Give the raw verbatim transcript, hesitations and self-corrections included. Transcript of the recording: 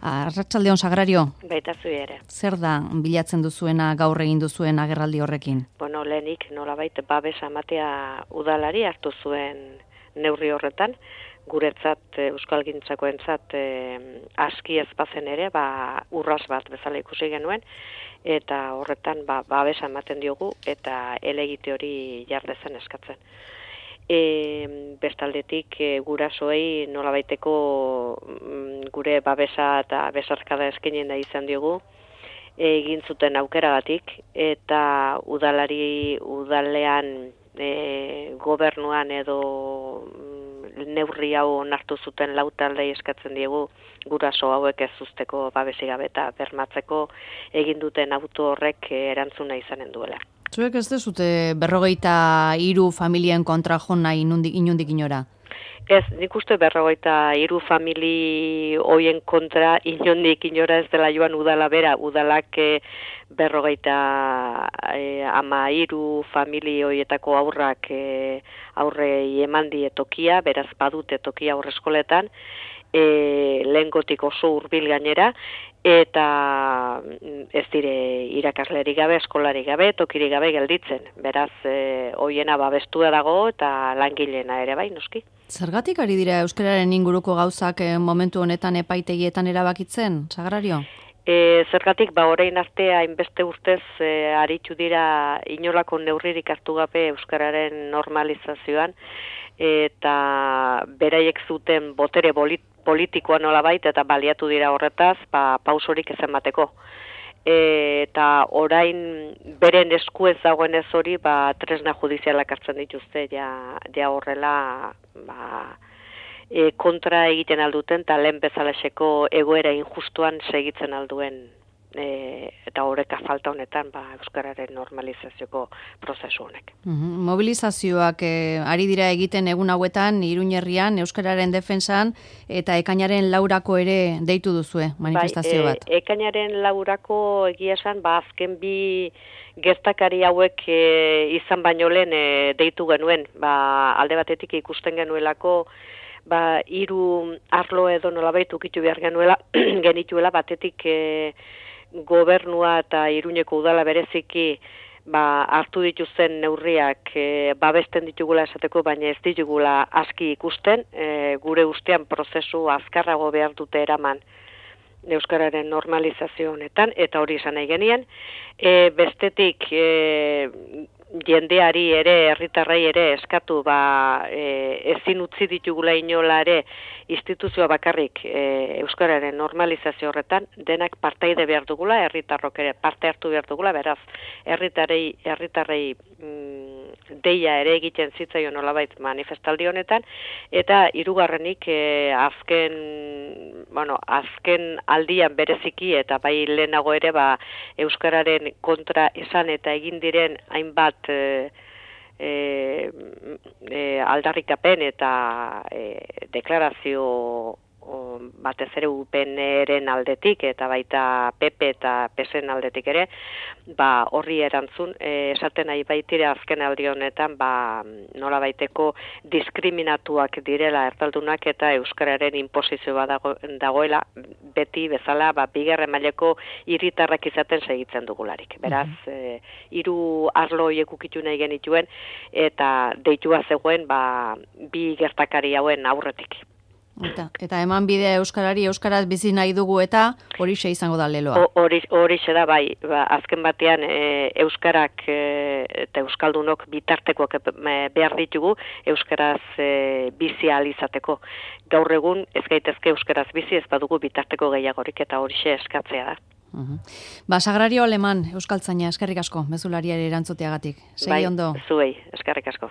Arratsaldeon Sagrario. Baita zu ere. Zer da bilatzen duzuena gaur egin duzuen agerraldi horrekin? Bueno, lehenik nolabait babesa ematea udalari hartu zuen neurri horretan, guretzat euskalgintzakoentzat eh, aski ez bazen ere, ba urras bat bezala ikusi genuen eta horretan ba babesa ematen diogu eta elegite hori jardezen eskatzen. E, bestaldetik e, gurasoei nolabaiteko mm, gure babesa eta besarkada eskaini nahi izan diogu egin zuten aukeragatik eta udalari udalean e, gobernuan edo mm, neurri hau onartu zuten lau taldei eskatzen diegu guraso hauek ez uzteko babesik gabe eta bermatzeko egin duten auto horrek erantzuna izanen duela. Zuek ez dezute berrogeita hiru familien kontra jo nahi inundik, inundik inora? Ez, nik uste berrogeita hiru famili hoien kontra inondik inora ez dela joan udala bera, udalak e, berrogeita e, ama hiru famili hoietako aurrak e, aurrei eman die tokia, beraz badute tokia aurreskoletan, e, lehengotik oso hurbil gainera, eta ez dire irakaslerik gabe, eskolari gabe, tokirik gabe gelditzen. Beraz, e, hoiena babestua dago eta langileena ere bai, noski. Zergatik ari dira euskararen inguruko gauzak eh, momentu honetan epaitegietan erabakitzen, Sagrario? E, zergatik, ba, orain arte hainbeste urtez e, aritu dira inolako neurririk hartu gabe euskararen normalizazioan, eta beraiek zuten botere bolit politikoa nolabait eta baliatu dira horretaz, ba, pausorik ez emateko. E, eta orain beren esku ez dagoenez hori, ba, tresna judizialak hartzen dituzte, ja, ja horrela ba, e, kontra egiten alduten, eta lehen bezalaxeko egoera injustuan segitzen alduen e, eta horreka falta honetan ba, euskararen normalizazioko prozesu honek. Uhum. Mobilizazioak eh, ari dira egiten egun hauetan Iruñerrian euskararen defentsan eta ekainaren laurako ere deitu duzue manifestazio bat. Bai, e, ekainaren laurako egia esan, ba, azken bi gertakari hauek e, izan baino lehen e, deitu genuen, ba, alde batetik ikusten genuelako ba, hiru arlo edo nolabait ukitu behar genuela, genituela batetik e, gobernua eta Iruñeko udala bereziki ba, hartu dituzten neurriak e, babesten ditugula esateko, baina ez ditugula aski ikusten, e, gure ustean prozesu azkarrago behar dute eraman euskararen normalizazio honetan, eta hori esan nahi genien. E, bestetik e, jendeari ere, herritarrei ere eskatu, ba, e, ezin utzi ditugula inola ere instituzioa bakarrik e, euskararen normalizazio horretan, denak partaide behar dugula, herritarrok ere parte hartu behar dugula, beraz, herritarrei, herritarrei mm, deia ere egiten zitzaion nolabait manifestaldi honetan, eta hirugarrenik e, azken, bueno, azken aldian bereziki eta bai lehenago ere ba, euskararen kontra esan eta egin diren hainbat e, e, e, aldarrikapen eta e, deklarazio o, batez ere U P N-ren aldetik eta baita P P eta P S en aldetik ere, ba, horri erantzun, e, esaten nahi baitire azken aldi honetan ba, nola baiteko diskriminatuak direla erdaldunak eta euskararen inposizio bat dago, dagoela beti bezala ba, bigarren mailako hiritarrak izaten segitzen dugularik. Beraz, e, hiru arlo horiek ukitu nahi genituen eta deitua zegoen ba, bi gertakari hauen aurretik. Eta, eta eman bidea euskarari, euskaraz bizi nahi dugu eta hori xe izango da leloa. Hori hori da bai, ba, azken batean e, euskarak e, eta euskaldunok bitartekoak behar ditugu euskaraz e, bizi ahal izateko. Gaur egun ez gaitezke euskaraz bizi ez badugu bitarteko gehiagorik eta hori xe eskatzea da. Uhum. Ba, Sagrario Aleman, euskaltzaina, eskerrik asko, mezulariari erantzuteagatik. Segi bai, ondo. Zuei, eskerrik asko.